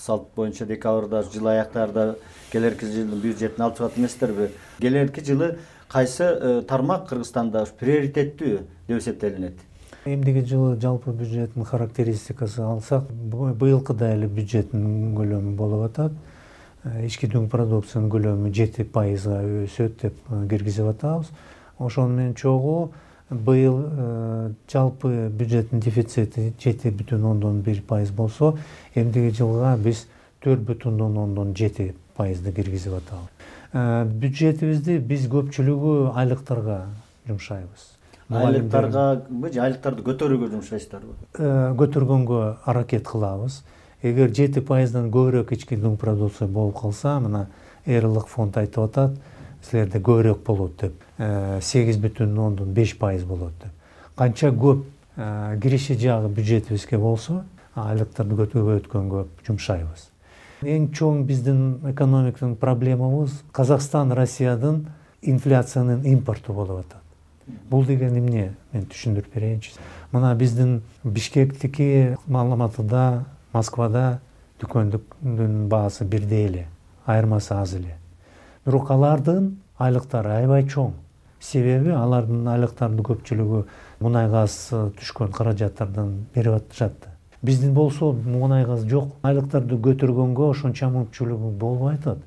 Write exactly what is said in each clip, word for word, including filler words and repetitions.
салт боюнча декабрда жыл аяктарда келерки жылдын бюджетин алып чыгат эместерби? Келерки жылы кайсы тармак Кыргызстанда приоритеттүү деп эсептелинет? Эмдиги жылы жалпы бюджеттин характеристикасы алсак, быйылкыда эле бюджеттин көлөмү болуп атат. Ички дүң продукциянын көлөмү жети пайызга өсөт деп киргизип атабыз. Ошону менен чогуу быйыл жалпы бюджеттин дефицити жети бүтүн ондон бир пайыз болсо, эмдиги жылга биз төрт бүтүн ондон жети пайызды киргизип атабыз. Бюджетибизди биз көпчүлүгү айлыктарга жумшайбыз. Айлыктаргабы же айлыктарды көтөрүүгө жумшайсыздарбы? Көтөргөнгө аракет кылабыз. Эгер жети пайыздан көбүрөөк ички дүң продукция болуп калса, мына Эрлык фонд айтып атат, силерде көбүрөөк болот деп, сегиз бүтүн ондон беш пайыз болот деп. Канча көп кириши жагы бюджетибизге болсо, айлыктарды көтөргөнгө жумшайбыз. Эң чоң биздин экономиканын проблемабыз Казакстан Россиядын инфляциянын импорту болуп атат. Бул деген эмне? Мен түшүндүрүп берейинчи. Мына биздин Бишкектики, Алматыда, Москвада дүкөндүн баасы бирдей эле, айырмасы аз эле. Бирок алардын айлыктары аябай чоң. Себеби алардын айлыктарынын көпчүлүгү мунай газ түшкөн каражаттардан берип атышат. Биздин болсо мунай газ жок. Айлыктарды көтөргөнгө ошончо мүмкүнчүлүгү болбой атат.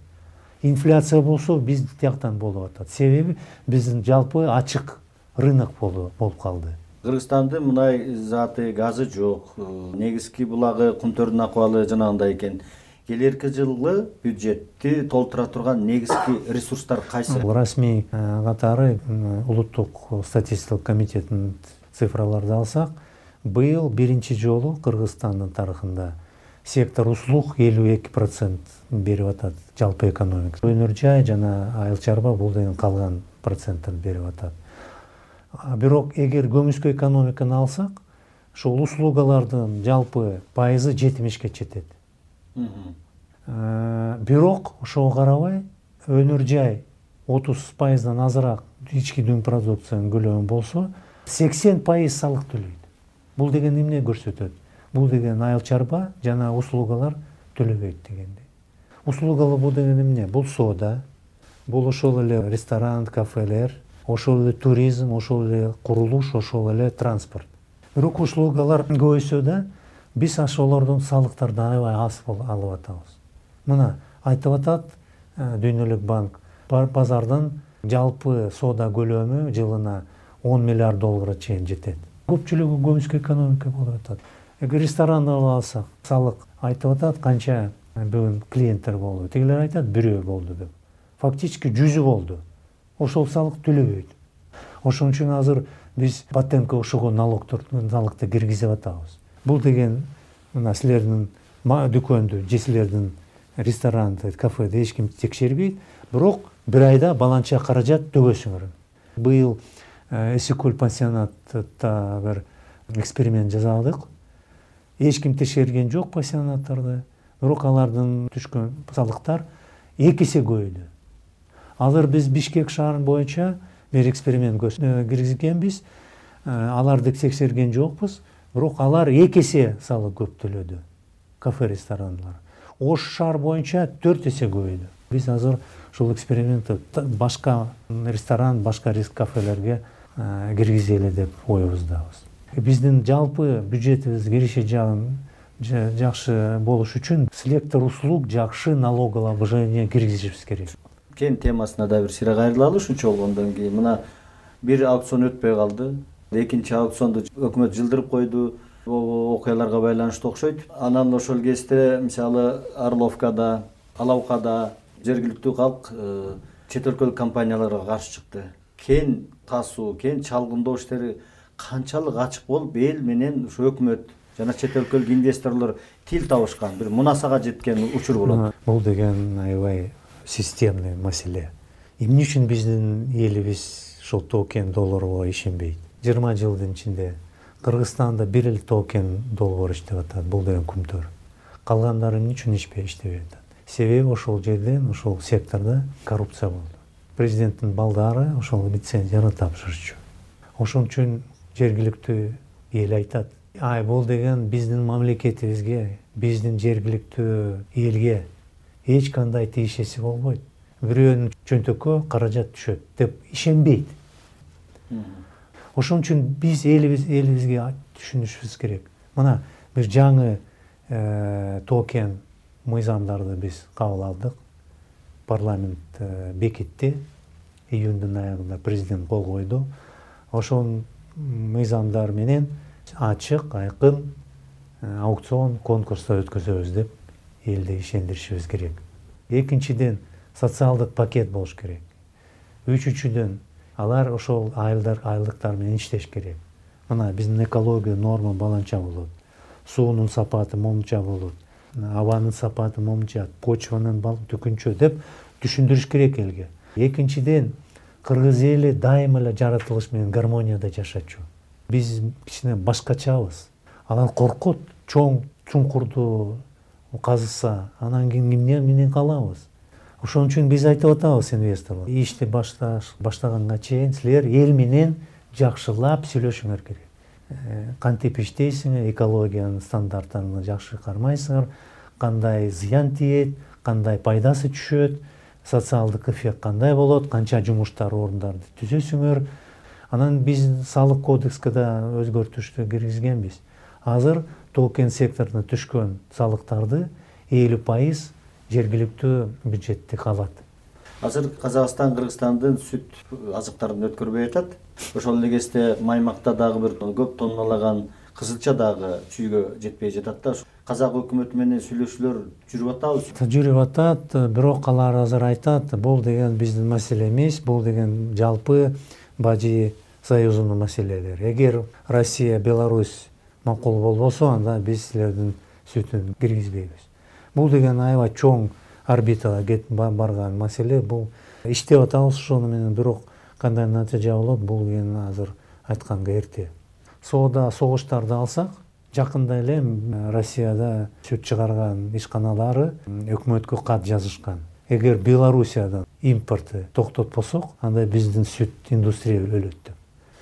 Инфляция болсо биз тияктан болуп атат. Себеби биздин жалпы ачык рынок болуп калды. Кыргызстандын мунай заты, газы жок. Негизги булагы, кумтөрдүн акыбалы жанагындай экен. Келерки жылы бюджетти толтура турган негизги ресурстар кайсы? Расмий катары улуттук статистикалык комитеттин цифраларды алсак, быйыл биринчи жолу Кыргызстандын тарыхында сектор услуг элүү эки процент берип атат жалпы экономика. Өнөр жай жана айыл чарба бул деген калган проценттерди берип атат. Бирок эгер көмүскө экономиканы алсак, ошол услугалардын жалпы пайызы жетимишке жетет. Бирок ошого карабай өнөр жай отуз пайыздан азыраак ички дүң продукциянын көлөмү болсо, сексен пайыз салык төлөйт. Бул деген эмне көрсөтөт? Бул деген айыл чарба жана услугалар төлөбөйт дегендей. Услугалар бул деген эмне? Бул соода, бул ошол эле ресторан, кафелер, ошол эле туризм, ошол эле курулуш, ошол эле транспорт. Бирок услугалар көбөйсө да, биз ошолордун салыктарды аябай аз алып атабыз. Мына айтып атат Дүйнөлүк банк, базардын жалпы соода көлөмү жылына он миллиард долларга чейин жетет. Көпчүлүгү көмүскө экономика болуп атат. Эгер ресторанды алсак, салык айтып атат канча бүгүн клиенттер болду. Тигилер айтат бирөө болду деп. Фактически жүзү болду. Ошол салык төлөбөйт. Ошон үчүн азыр биз патентке окшогон налогторду киргизип атабыз. Бул деген мына силердин дүкөндү, же силердин ресторанды, кафеди эч ким текшербейт, бирок бир айда баланча каражат төгөсүңөр. Быйыл Эсикөл пансионатта бир эксперимент жасадык. Эч ким текшерген жок пансионаттарды, бирок алардын түшкөн салыктар эки эсе көбөйдү. Азыр биз Бишкек шаарынын боюнча бир эксперимент киргизгенбиз. Аларды текшерген жокпуз, бирок алар эки эсе салык көп төлөдү. Кафе, ресторандар. Ош шаар боюнча төрт эсе көбөйдү. Биз азыр ушул экспериментти башка ресторан, башка кафелерге киргизели деп оюбуздабыз. Биздин жалпы бюджетибиз кириши жагын жакшы болуш үчүн сектор услуг жакшы налогообложение киргизишибиз керек. Кен темасына да бир сыйра кайрылалы ушунча болгондон кийин. Мына бир аукцион өтпөй калды. Экинчи аукционду өкмөт жылдырып койду. Окуяларга байланыштуу окшойт. Анан ошол кезде мисалы Орловкада, Алаукада жергиликтүү калк чет өлкөлүк компанияларга каршы чыкты. Кен тасуу, кен чалгындоо иштери канчалык ачык болуп, эл менен ушу өкмөт жана чет өлкөлүк инвесторлор тил табышкан, бир мунасага жеткен учур болот. Бул деген аябай системный маселе. Эмне үчүн биздин элибиз ошол токен долларга ишенбейт? жыйырма жылдын ичинде Кыргызстанда бир эле токен доллар иштеп атат, бул деген күмтөр. Калгандары эмне үчүн иштебей атат? Себеби ошол жерден, ошол сектордо коррупция болду. Президенттин балдары ошол лицензияны тапшырчу. Ошон үчүн жергиликтүү эл айтат, ай бул деген биздин мамлекетибизге, биздин жергиликтүү элге эч кандай тиешеси болбойт. Бирөөнүн чөнтөккө каражат түшөт деп ишенбейт. Ошон үчүн биз элибиз элибизге түшүнүшүбүз керек. Мына бир жаңы токен мыйзамдарды биз кабыл алдык. Парламент бекитти. Июндун аягында президент кол койду. Ошол мыйзамдар менен ачык, айкын аукцион, конкурстар өткөзөбүз деп элди ишендиришибиз керек. Экинчиден, социалдык пакет болуш керек. Үчүнчүдөн, алар ошол айылдар, айылдыктар менен иштеш керек. Мына биздин экология норма баланча болот. Суунун сапаты момунча болот. Абанын сапаты момунча, почванын түкүнчө деп түшүндүрүш керек элге. Экинчиден, кыргыз эли дайыма эле жаратылыш менен гармонияда жашачу. Биз кичине башкачабыз. Алар коркот, чоң чуңкурду казыса, анан кийин эмне менен калабыз. Ошон үчүн биз айтып атабыз инвесторлорго, ишти башташ баштаганга чейин силер эл менен жакшылап сүйлөшүңөр керек. Кантип иштейсиңер, экологиянын стандарттарын жакшы кармайсыңар, кандай зыян тиет, кандай пайдасы түшөт, социалдык эффект кандай болот, канча жумуштар орундарды түзөсүңөр. Анан биз салык кодекске да өзгөртүштү киргизгенбиз. Азыр токен секторуна түшкөн салыктарды элүү пайыз жергиликтүү бюджетте калат. Азыр Казакстан Кыргызстандын сүт азыктарын өткөрбөй атат. Ошол эле кезде Маймакта дагы бир көп тонналаган кызылча дагы чүйгө жетпей жатат да. Казак өкмөтү менен сүйлөшүүлөр жүрүп атабы? Жүрүп атат, бирок алар азыр айтат, бул деген биздин маселе эмес, бул деген жалпы Бажы союзунун маселелери. Эгер Россия, Беларусь макул болбосо, анда биз силердин сүтүн киргизбейбиз. Бул деген аябай чоң орбитага кетип барган маселе. Бул иштеп атабыз ошону менен, бирок кандай натыйжа болот, бул деген азыр айтканга эрте. Соода согуштарды алсак, жакында эле Россияда сүт чыгарган ишканалары өкмөткө кат жазышкан. Эгер Белоруссиядан импорту токтотпосок, анда биздин сүт индустрия өлөт деп.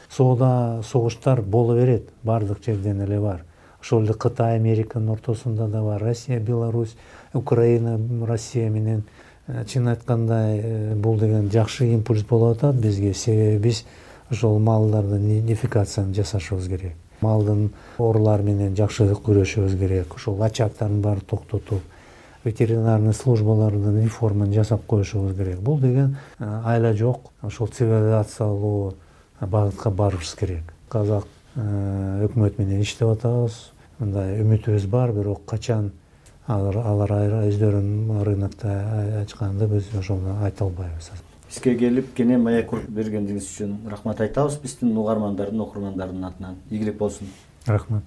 Соода согуштар боло берет, бардык жерден эле бар. Ошол эле Кытай, Американын ортосунда да бар. Россия, Беларусь, Украина, Россия менен чын айтканда бул деген жакшы импульс болуп атат бизге. Себеби биз ошол малдардын идентификациясын жасашыбыз керек. Малдын оорулар менен жакшы күрөшүбүз керек. Ошол ачактардын баарын токтотуп, ветеринарный службалардын реформаны жасап коюшубуз керек. Бул деген айла жок, ошол цивилизациялуу багытка барышыбыз керек. Казак өкмөт менен иштеп атабыз. Мындай үмүтүбүз бар, бирок качан алар өздөрүнүн рынокто ачканды биз ошону айта албайбыз. Бизге келип кене маек бергендигиңиз үчүн рахмат айтабыз. Биздин угармандардын, окурмандардын атынан. Ийгилик болсун. Рахмат.